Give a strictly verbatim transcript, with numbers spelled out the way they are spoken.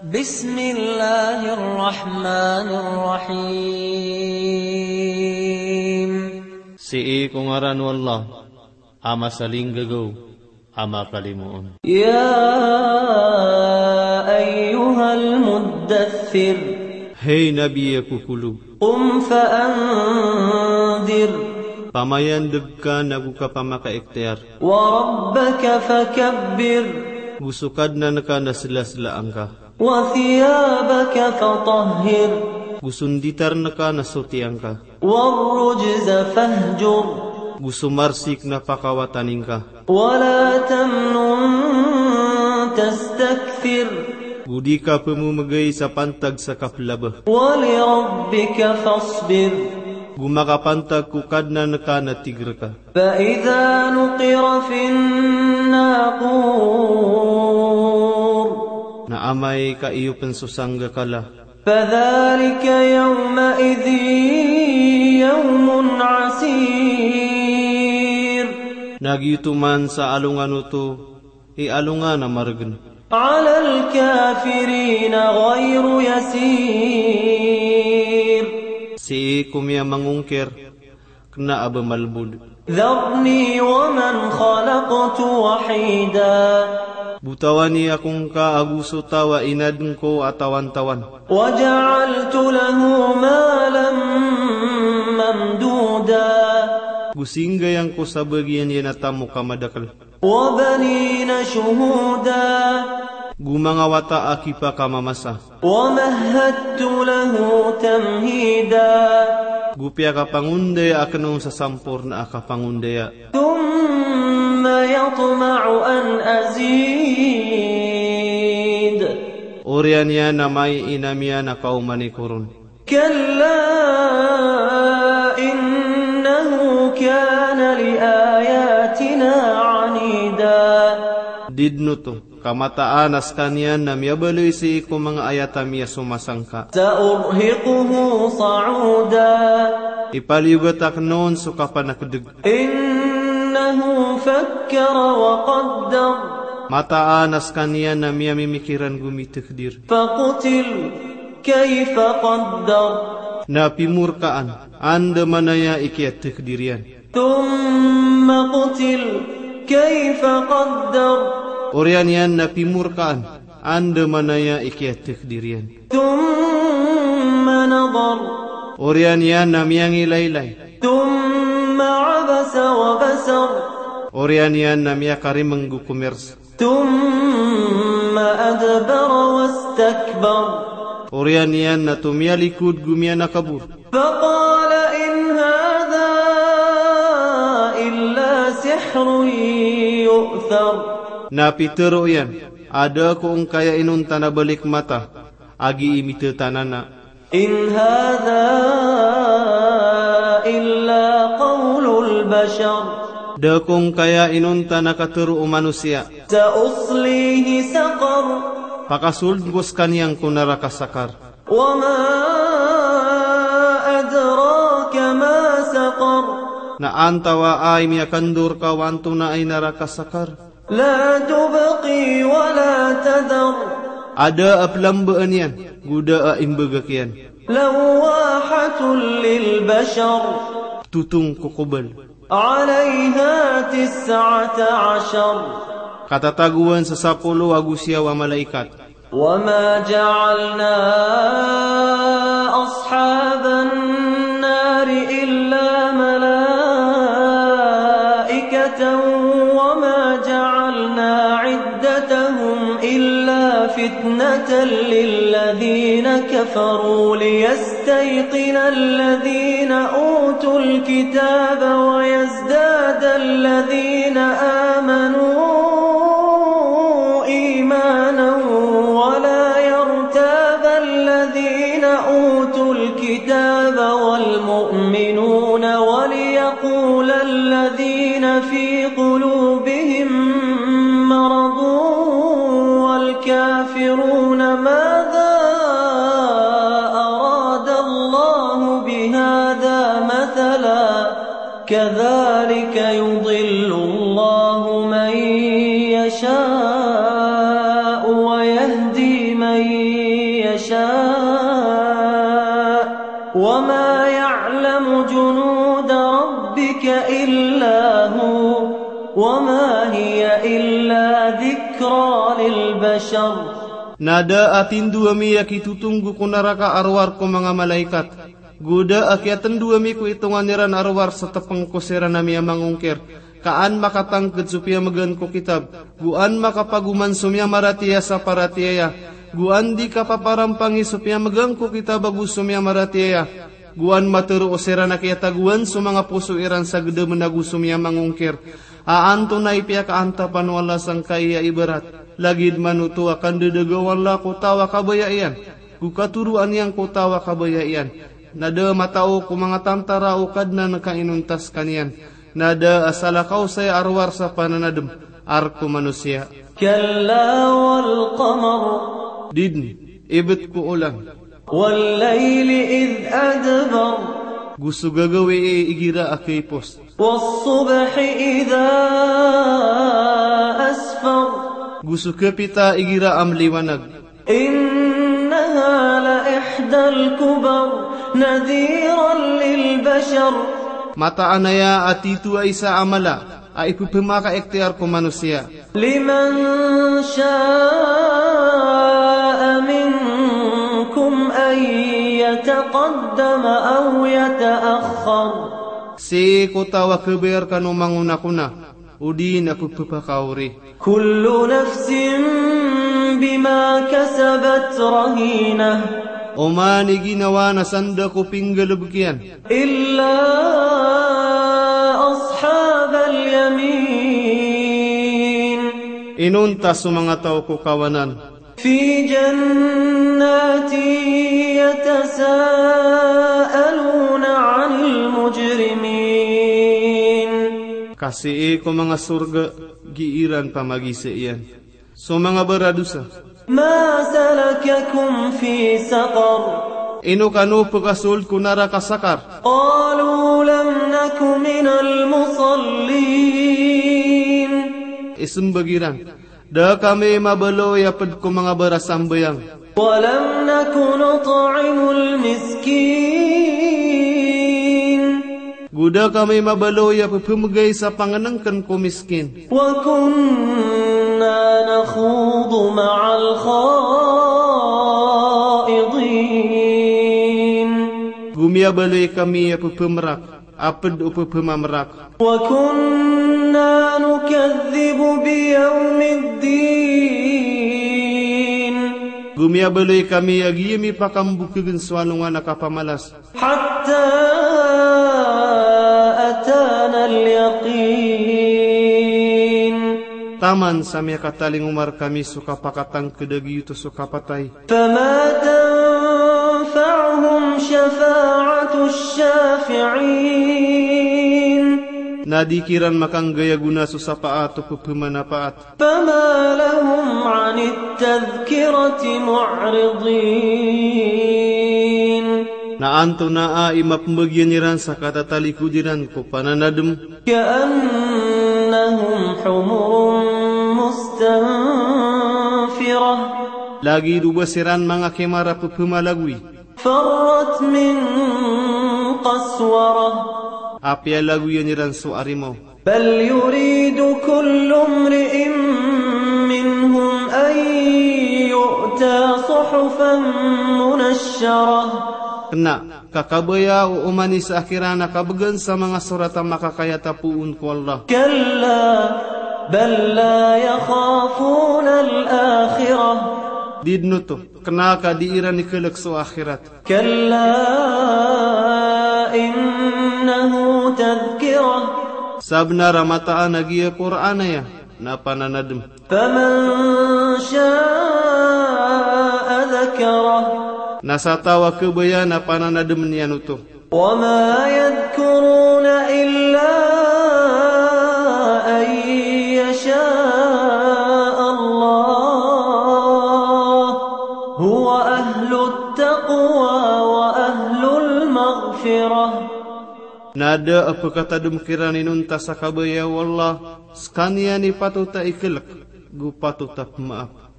بسم الله الرحمن الرحيم. Sii ko ngaran o Allah, a masalinggagaw, a makalimoon. يا أيها المدثر. Hay Nabi a kokolog. قم فأنذر. Pamayandeg ka nago ka pamakaikhtiyar. وربك فكبر. Go so Kadnan ka na slaslaan ka. وثيابك فطهر. Go so nditarn ka na sotiyan ka. والرجز فاهجر. Go so marsik na pakawatanin ka. ولا تمنن تستكثر. Go di ka pememegay sa pantag sa kaplaba. ولربك فاصبر. Go makapantag ko Kadnan ka na tig rka. فإذا نقر في الناقور. Na amay ka iyo pn so sanggakala. فذلك يومئذ يوم عسير. Na giyoto man sa alongan oto i alongan a margn. على الكافرين غير يسير. Sii ko miyamangongkir, kna a ba malbod. ذرني ومن خلقت وحيدا. Botawani ako ngka ago so taw a inadn ko a tawantawan. وجعلت له مالا ممدودا. Go singgay angko sa bagian iyan a tamok a madakl. وبنين شهودا. Go manga wata a kipakamamasa. ومهدت له تمهيدا. Go piyakapangondaya akn on sa samporna a kapangondaya. ثم يطمع أن أزيد. Oriyan iyan na maiinam iyan a kaomani ko ron. كلا إنه كان لآياتنا عنيدا. Di dn oto, ka mataan a skaniyan na miyabaloy sii ko manga ayat ami a somasangka. سأرهقه صعودا. Ipaliyogat akn on so kapanakdg. إنه فكر وقدر. Mataan a skaniyan na miyamimikiran go mitakdir. فقتل كيف قدر. Na pimorkaan, andamanaya i kiyatakdir iyan. ثم قتل كيف قدر. Oriyan iyan na pimorkaan, andamanaya i kiyatakdir iyan. ثم نظر. Oriyan iyan na miyangilaylay. ثم عبس وبسر. Oriyan iyan na miyakarimng go komirs. ثم أدبر واستكبر. Oriyan iyan na tomiyalikod go miyanakabor. فقال إن هذا إلا سحر يؤثر. Na pitharo iyan a da ko ongkaya inonta na balik mata a gii mitatanana. إن هذا إلا قول البشر. Da ko ongkaya inonta na katharo o manosiya. سأصليه سقر. Pakasoldn ko skaniyan ko naraka Sakar. وما أدراك ما سقر. Na antawaa i miyakandor ka o antonaa i naraka Sakar. لا تبقي ولا تذر. A da a plambaan iyan, go da a imbagak iyan. لواحة للبشر. Totong ko kobal. عليها تسعة عشر. Katatagoan sa sapolo ago siyaw a malaikat. وما جعلنا أصحاب النار إلا ملائكة وما جعلنا عدتهم إلا فتنة للذين كفروا ليستيقن الذين أوتوا الكتاب ويزداد الذين آمنوا إيمانا ولا يرتاب الذين أوتوا الكتاب والمؤمنون وليقول الذين في قلوبهم مرض والكافرون ماذا أراد الله بهذا مثلا كذلك يضل الله من يشاء ويهدي من يشاء وما يعلم جنود ربك إلا هو وما هي إلا ذكرى للبشر. Na da a tindo ami a kitotonggo ko naraka a rowar ko manga malaikat. Go da a kiyatndo ami ko itongan iran a rowar sa tepeng ko siran a miyamangongkir, ka an makatangked so piyamegaan ko kitab, go an makapagoman so miyamaratiyaya sa paratiyaya, go an di kapaparampangi so piyamegaan ko kitab ago so miyamaratiyaya, go an matero o siran a kiyatagoan so manga poso iran sa gedamen ago so miyamangongkir, a antonaa i piyakaantapan o Allah sangkai a ibarat. Lagid man oto a kandedaga o Allah ko taw a kabaya iyan, go katoroan iyan ko taw a kabaya iyan. Na da a matao ko manga tantara o Kadnan ka inontas ka niyan. Na da a salakaw saya a rowar sa pananadem a rk o manosiya. كلا والقمر. Di den, ibet ko olan. والليل إذ أدبر. Go so gagawii igira a kaipos. والصبح إذا أسفر. Go so kapita igira a mliwanag. إنها لإحدى الكبر نذيرا للبشر. Mataan aya a tito a isa a mala a ipepemakaikhtiyar ko manosiya. لمن شاء منكم أن يتقدم أو يتأخر. Sii ko taw a kabaya rkano mangonakona, odi na pepepakaori. كل نفس بما كسبت رهينة. Oman i ginawa na sanda ko pinggalebek iyan. إلا أصحاب اليمين. Inonta so manga taw ko kawanan. في جنات يتساءلون عن المجرمين. Ka sii ko manga sorga giiran pamagisa iyan so manga baradosa. ما سلككم في سقر. Ino kano pekasold ko naraka Sakar? قالوا لم نك من المصلين. Isembag iran, da kami mabaloy a ped ko manga barasambayang. ولم نك نطعم المسكين. Go da kami mabaloy a pepemegay sa pangenengken ko miskin. وكنا نخوض مع الخائضين. Go miyabaloy kami a pepemerak a ped o pepemamerak. وكنا نكذب بيوم الدين. Go miyabaloy kami a giyami pakambokegen so alongan a kapamalas. حتى أتانا اليقين. Taman sa miyakatalingoma rkami so kapakatangked a giyoto so kapatay. فما تنفعهم شفاعة الشافعين. Na di kiran makanggay a gona so sapaat o pepemanapaat. فما لهم عن التذكرة معرضين. Na antonaa i mapembagian iran sa katatalikod iran ko pananadem. كأنهم حمر مستنفرة. Lagid o ba siran manga kimar a pepemalagoy. فرت من قسورة. A piyalagoyan iran so arimaw. بل يريد كل امرئ منهم أن يؤتى صحفا منشرة. Kena, ka kabaya o oman i isa kiran a kabegan sa manga sorat a makakayatapoon ko Allah. كلا بل لا يخافون الآخرة. Di den oto, kena ka di iran ikelek so akhirat. كلا إنه تذكرة. Sabenar a mataan a giya Qur'an aya na pananadem. فمن شاء ذكره. Na sa taw a kabaya na pananademen iyan oto. وما يذكرون إلا أن يشاء الله هو أهل التقوى وأهل المغفرة. Na da a pekatadem kiran inonta sa kabaya o Allah, sekaniyan i patot a ikelek, go patot a pemaap.